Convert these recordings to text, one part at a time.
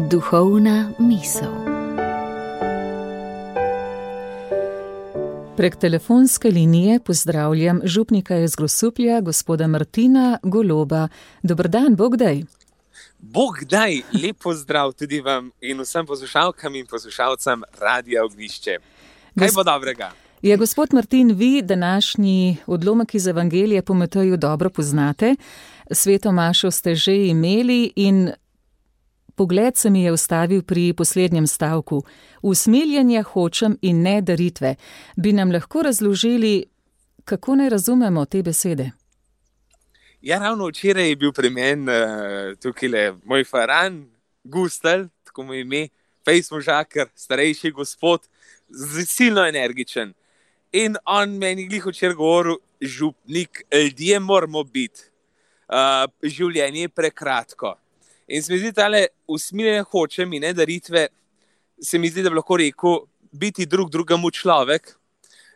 Duhovna misel. Prek telefonske linije pozdravljam župnika iz Grosuplja, gospoda Martina Goloba. Dober dan, Bog daj. Bog daj, lep pozdrav tudi vam in vsem poslušalkam in poslušalcem Radia Ognjišče. Kaj bo dobrega? Ja, gospod Martin, vi današnji odlomek iz Evangelije po Mateju dobro poznate. Sveto mašo ste že imeli in pogled se mi je ustavil pri poslednjem stavku. Usmiljenja hočem in ne daritve. Bi nam lahko razložili, kako ne razumemo te besede? Ja, ravno včeraj je bil pri meni tukaj moj faran, Gustel, tako mu ime, fejs možakar, starejši gospod, silno energičen. In on meni glih včeraj govoril, župnik, ljudje moramo biti, življenje je prekratko. In se mi zdi tale usmiljenje hočem in ne daritve, se mi zdi, da bi lahko rekel, biti drug drugemu človek,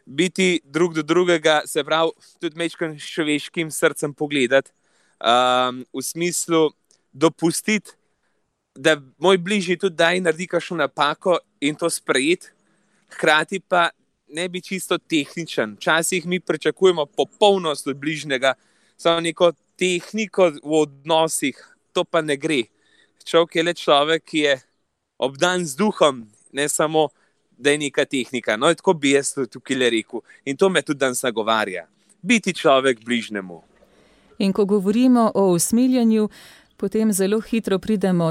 biti drug do drugega, se pravi, tudi mečkim človeškim srcem pogledati, v smislu dopustiti, da moj bližnji tudi daj naredi kakšno napako in to sprejeti, hkrati pa ne bi čisto tehničen. Včasih mi pričakujemo popolnost od bližnjega, samo neko tehniko v odnosih, to pa ne gre. Človek je le človek, ki je obdan z duhom, ne samo, da je neka tehnika. No, tako bi jaz tukaj le rekel. In to me tudi danes nagovarja. Biti človek bližnjemu. In ko govorimo o usmiljenju, potem zelo hitro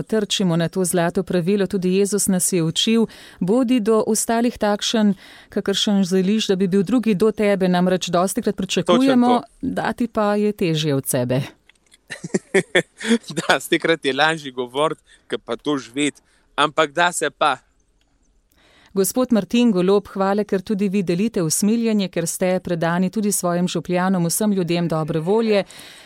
trčimo na to zlato pravilo, tudi Jezus nas je učil, bodi do ostalih takšen, kakršen želiš, da bi bil drugi do tebe, namreč dostikrat pričakujemo, dati pa je težje od sebe. Da, stekrat je lažje govoriti, kot pa to živeti, ampak da se pa. Gospod Martin Golob, hvala, ker tudi vi delite usmiljenje, ker ste predani tudi svojim župljanom, vsem ljudem dobre volje.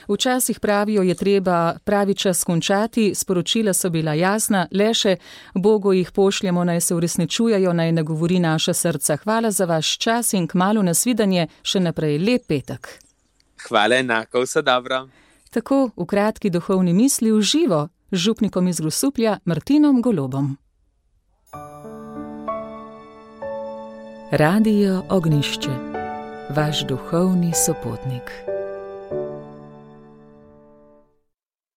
Včasih pravijo, je treba pravi čas končati, sporočila so bila jasna, le še Bogu jih pošljemo, naj se uresničujejo, naj nagovori naša srca. Hvala za vaš čas in kmalu nasvidenje, še naprej lep petek. Hvala enako, vse dobro. Tako v kratki duhovni misli v živo z župnikom iz Grosuplja Martinom Golobom. Radio Ognjišče, vaš duhovni sopotnik.